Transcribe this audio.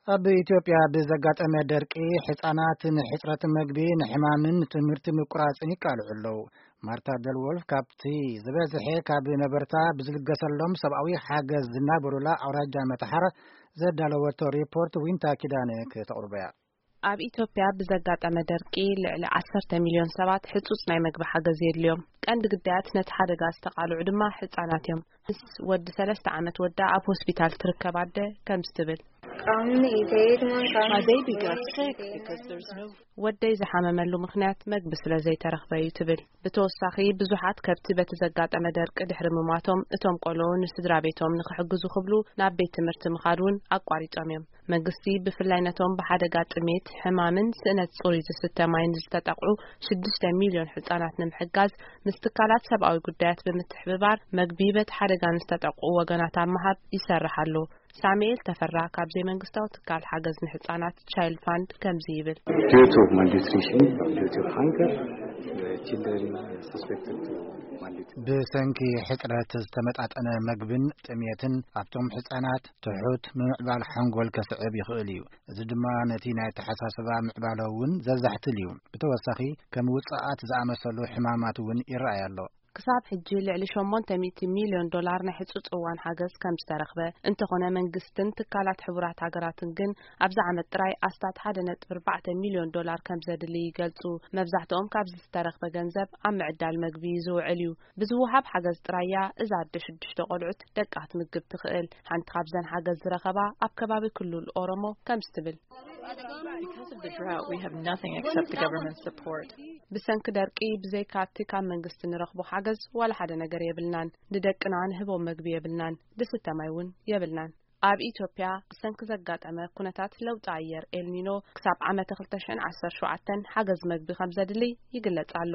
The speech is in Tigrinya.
ኣብ ኢትዮጵያ ብዘጋጠመ ደርቂ፣ ሕጻናት ንሕጽረት መግቢ፣ ንሕማምን ትምህርቲ ምቁራጽን ይቃልዑ ኣለዉ። ማርታ ደልወልፍ ካብቲ ዝበዝሐ ካብ ነበርታ ብዝልገሰሎም ሰብኣዊ ሓገዝ ዝናበሩላ ኣውራጃ መተሓር ዘዳለወቶ ሪፖርት ዊንታ ኪዳነ ከተቕርቦ እያ። ኣብ ኢትዮጵያ ብዘጋጠመ ደርቂ፣ ልዕሊ ዓሰርተ ሚልዮን ሰባት ሕጹጽ ናይ መግቢ ሓገዝ የድልዮም። ቀንዲ ግዳያት ነቲ ሓደጋ ዝተቓልዑ ድማ ህጻናት እዮም። ምስ ወዲ ሰለስተ ዓመት ወዳ ኣብ ሆስፒታል ትርከብ ኣደ ከምዚ ትብል። My baby got sick because there's no ወደይ ዝሓመመሉ ምኽንያት መግቢ ስለ ዘይተረኽበ እዩ ትብል። ብተወሳኺ፣ ብዙሓት ከብቲ በቲ ዘጋጠመ ደርቂ ድሕሪ ምሟቶም፣ እቶም ቆልዑ ንስድራ ቤቶም ንኽሕግዙ ክብሉ ናብ ቤት ትምህርቲ ምኻድ እውን ኣቋሪጾም እዮም። መንግስቲ ብፍላይ ነቶም ብሓደጋ ጥሜት፣ ሕማምን ስእነት ጽሩይ ዝስተ ማይን ዝተጠቕዑ ሽዱሽተ ሚልዮን ህጻናት ንምሕጋዝ፣ ምስ ትካላት ሰብኣዊ ጉዳያት ብምትሕብባር፣ መግቢ በቲ ሓደጋ ንዝተጠቕዑ ወገናት ኣብ ምሃብ ይሰርሕ ኣሎ። ሳሙኤል ተፈራ ካብ ዘይመንግስታዊ ትካል ሓገዝ ንህጻናት ቻይልድ ፋንድ ከምዚ ይብል። Due to malnutrition, due to hunger, the children suspected to malnutrition. ብሰንኪ ሕጽረት ዝተመጣጠነ መግብን ጥሜትን ኣብቶም ህጻናት ትሑት ምምዕባል ሓንጎል ከስዕብ ይኽእል እዩ። እዚ ድማ ነቲ ናይ ኣተሓሳስባ ምዕባለ እውን ዘዛሕትል እዩ። ብተወሳኺ ከም ውጽኣት ዝኣመሰሉ ሕማማት እውን ይረኣይ ኣሎ። ክሳብ ሕጂ ልዕሊ ሸሞንተ ሚእቲ ሚልዮን ዶላር ናይ ሕጹጽ እዋን ሓገዝ ከም ዝተረኽበ፣ እንተኾነ መንግስትን ትካላት ሕቡራት ሃገራትን ግን ኣብዚ ዓመት ጥራይ ኣስታት ሓደ ነጥቢ ኣርባዕተ ሚልዮን ዶላር ከም ዘድሊ ይገልጹ። መብዛሕትኦም ካብዚ ዝተረኽበ ገንዘብ ኣብ ምዕዳል መግቢ ዝውዕል እዩ። ብዝወሃብ ሓገዝ ጥራይ እያ እዛ ኣደ ሽዱሽተ ቆልዑት ደቃ ክትምግብ ትኽእል። ሓንቲ ካብዘን ሓገዝ ዝረኸባ ኣብ ከባቢ ክልል ኦሮሞ ከምዚ ትብል። Because of the drought, we have nothing except the government support. ብሰንኪ ደርቂ፣ ብዘይካ እቲ ካብ መንግስቲ ንረኽቦ ሓገዝ፣ ዋላ ሓደ ነገር የብልናን። ንደቅና ንህቦም መግቢ የብልናን፣ ዝስተ ማይ እውን የብልናን። ኣብ ኢትዮጵያ፣ ብሰንኪ ዘጋጠመ ኩነታት ለውጢ ኣየር ኤልኒኖ፣ ክሳብ ዓመተ ክልተ ሽሕን ዓሰርተ ሸውዓተን ሓገዝ መግቢ ከም ዘድሊ ይግለጽ ኣሎ።